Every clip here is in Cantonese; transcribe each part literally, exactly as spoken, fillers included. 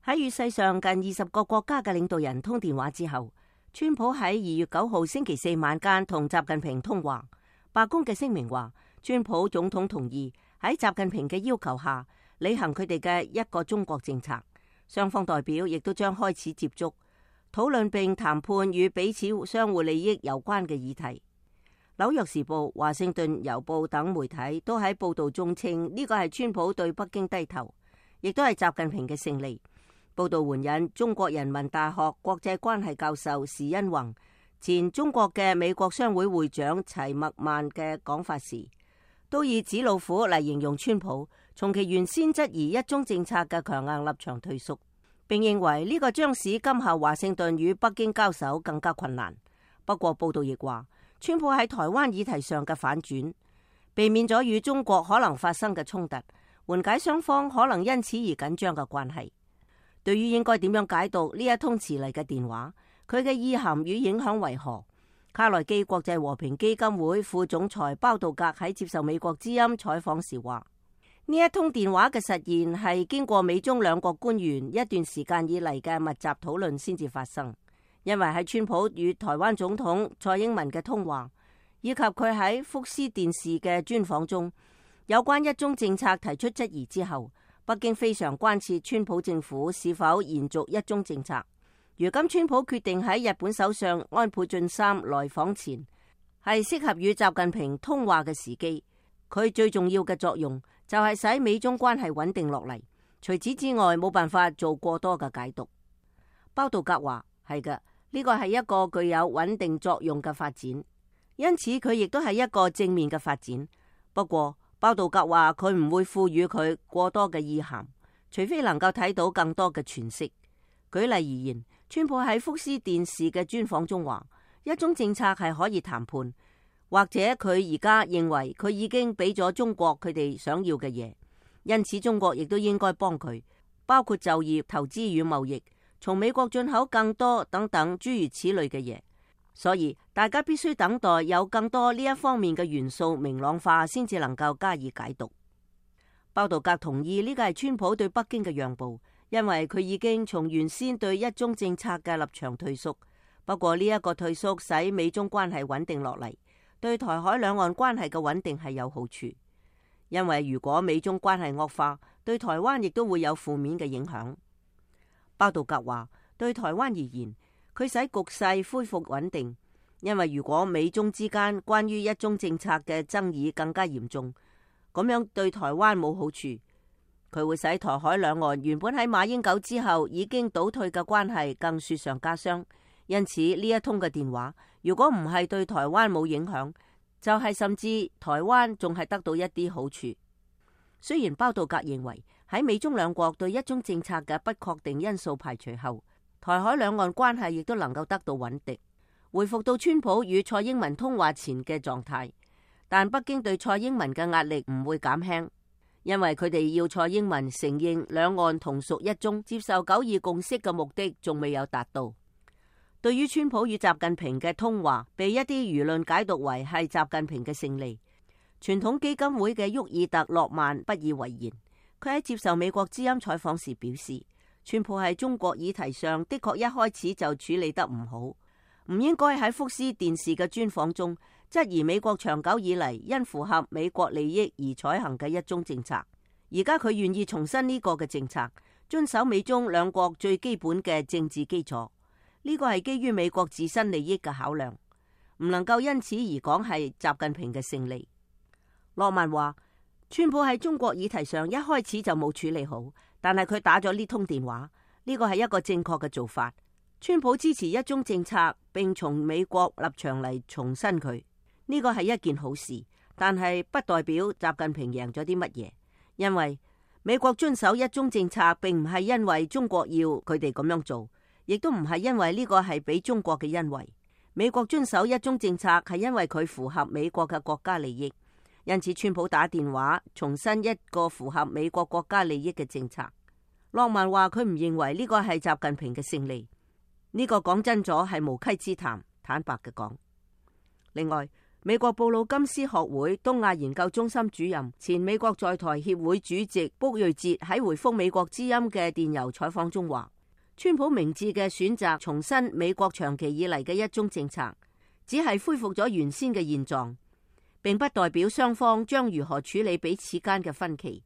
喺與世上近二十個國家嘅領導人通電話之後，川普喺二月九號星期四晚間同習近平通話。白宮嘅聲明話，川普總統同意喺習近平嘅要求下履行佢哋嘅一個中國政策。雙方代表亦都將開始接觸，討論並談判與彼此相互利益有關嘅議題。紐約時報、華盛頓郵報等媒體都喺報道中稱呢個係川普對北京低頭，亦都係習近平嘅勝利。報道援引中國人民大學國際關係教授時殷弘、前中國嘅美國商會會長齊默曼嘅講法時，都以紙老虎嚟形容川普從其原先質疑一中政策嘅強硬立場退縮，並認為呢個將使今後華盛頓與北京交手更加困難。不過報道亦話，川普喺台灣議題上嘅反轉，避免咗與中國可能發生嘅衝突，緩解雙方可能因此而緊張嘅關係。對於應該點樣解讀呢一通遲嚟嘅電話，佢嘅意涵與影響為何？卡內基國際和平基金會副總裁包道格喺接受美國之音採訪時話：呢一通電話嘅實現係經過美中兩國官員一段時間以嚟嘅密集討論先至發生，因為喺川普與台灣總統蔡英文嘅通話，以及佢喺福斯電視嘅專訪中有關一中政策提出質疑之後，北京非常關切川普政府是否延續一中政策。如今川普決定喺日本首相安倍晉三來訪前，係適合與習近平通話嘅時機。佢最重要嘅作用就係使美中關係穩定落嚟。除此之外，冇辦法做過多嘅解讀。包道格話：係嘅，呢個係一個具有穩定作用嘅發展，因此佢亦都係一個正面嘅發展。不過，包道格話佢唔會賦予佢過多嘅意涵，除非能夠睇到更多嘅詮釋。舉例而言，川普喺福斯電視嘅專訪中話，一中政策係可以談判，或者佢而家認為佢已經俾咗中國佢哋想要嘅嘢，因此中國亦都應該幫佢，包括就業、投資與貿易，從美國進口更多等等諸如此類嘅嘢。所以大家必須等待有更多呢一方面嘅元素明朗化，先至能夠加以解讀。包道格同意呢個係川普對北京嘅讓步，因為佢已經從原先對一中政策嘅立場退縮。不過呢一個退縮使美中關係穩定落嚟，對台海兩岸關係嘅穩定係有好處。因為如果美中關係惡化，對台灣亦都會有負面嘅影響。包道格話，對台灣而言，佢使局勢恢復穩定，因為如果美中之間關於一中政策嘅爭議更加嚴重，咁樣對台灣冇好處。佢會使台海兩岸原本喺馬英九之後已經倒退嘅關係更雪上加霜。因此呢一通嘅電話，如果唔係對台灣冇影響，就係甚至台灣仲係得到一啲好處。雖然包道格認為喺美中兩國對一中政策嘅不確定因素排除後，台海兩岸關係亦都能夠得到穩定，回復到川普與蔡英文通話前嘅狀態。但北京對蔡英文嘅壓力唔會減輕，因為佢哋要蔡英文承認兩岸同屬一中，接受九二共識嘅目的仲未有達到。對於川普與習近平嘅通話被一啲輿論解讀為係習近平嘅勝利，傳統基金會嘅沃爾特洛曼不以為然。佢喺接受美國之音採訪時表示，川普喺中國議題上的確一開始就處理得唔好，唔應該喺福斯電視嘅專訪中質疑美國長久以嚟因符合美國利益而採行嘅一中政策。而家佢願意重申呢個嘅政策，遵守美中兩國最基本嘅政治基礎。呢個係基於美國自身利益嘅考量，唔能夠因此而講係習近平嘅勝利。洛曼話，川普喺中國議題上一開始就冇處理好，但係佢打咗呢通電話，呢個係一個正確嘅做法。川普支持一中政策，並從美國立場嚟重申佢，呢個係一件好事，但係不代表習近平贏咗啲乜嘢，因為美國遵守一中政策並唔係因為中國要佢哋咁樣做，亦都唔係因為呢個係俾中國嘅恩惠。美國遵守一中政策係因為佢符合美國嘅國家利益，因此川普打電話重申一個符合美國國家利益嘅政策。洛曼話佢唔認為呢個係習近平嘅勝利，呢個講真咗係無稽之談，坦白嘅講。另外，美國布魯金斯學會東亞研究中心主任、前美國在台協會主席卜瑞哲喺回覆美國之音嘅電郵採訪中話，川普明智嘅選擇重申美國長期以嚟嘅一中政策，只係恢復咗原先嘅現狀，並不代表雙方將如何處理彼此間嘅分歧。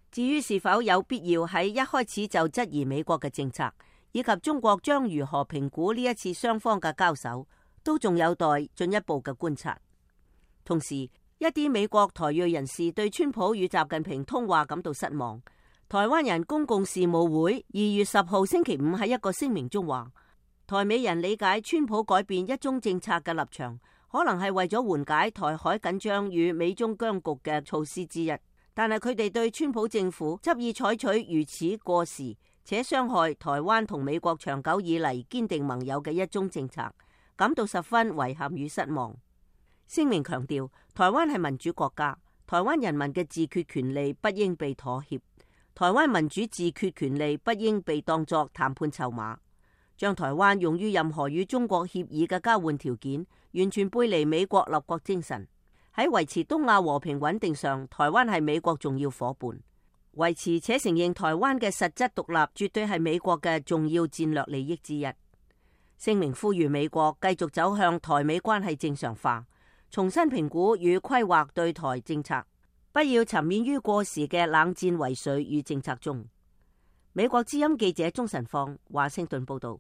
至於是否有必要喺一開始就質疑美國嘅政策，以及中國將如何評估呢一次雙方嘅交手，都仲有待進一步嘅觀察。同時，一啲美國台裔人士對川普與習近平通話感到失望。台灣人公共事務會二月十號星期五喺一個聲明中話，台美人理解川普改變一中政策嘅立場，可能係為咗緩解台海緊張與美中僵局嘅措施之一。但係佢哋對川普政府執意採取如此過時且傷害台灣同美國長久以嚟堅定盟友嘅一中政策，感到十分遺憾與失望。聲明強調，台灣係民主國家，台灣人民嘅自決權利不應被妥協，台灣民主自決權利不應被當作談判籌碼，將台灣用於任何與中國協議嘅交換條件，完全背離美國立國精神。喺維持東亞和平穩定上，台灣係美國重要夥伴，維持且承認台灣嘅實質獨立，絕對係美國嘅重要戰略利益之一。聲明呼籲美國繼續走向台美關係正常化，重新評估與規劃對台政策，不要沉湎於過時嘅冷戰遺緒與政策中。美國之音記者鍾晨放華盛頓報道。